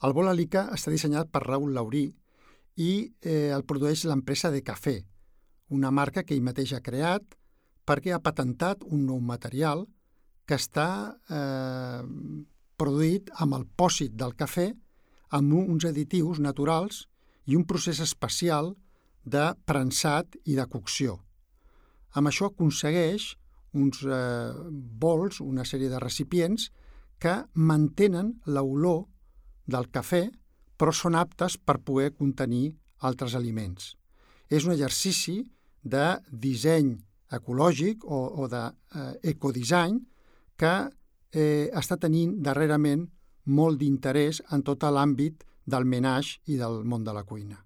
El bol Alica està dissenyat per Raül Laurí i el produeix l'empresa de cafè, una marca que ell mateix ha creat perquè ha patentat un nou material que està produït amb el pòsit del cafè, amb uns additius naturals i un procés especial de prensat i de cocció. Amb això aconsegueix uns bols, una sèrie de recipients que mantenen l'olor del cafè, però són aptes per poder contenir altres aliments. És un exercici de disseny ecològic o d'ecodisseny que està tenint darrerament molt d'interès en tot l'àmbit del menage i del món de la cuina.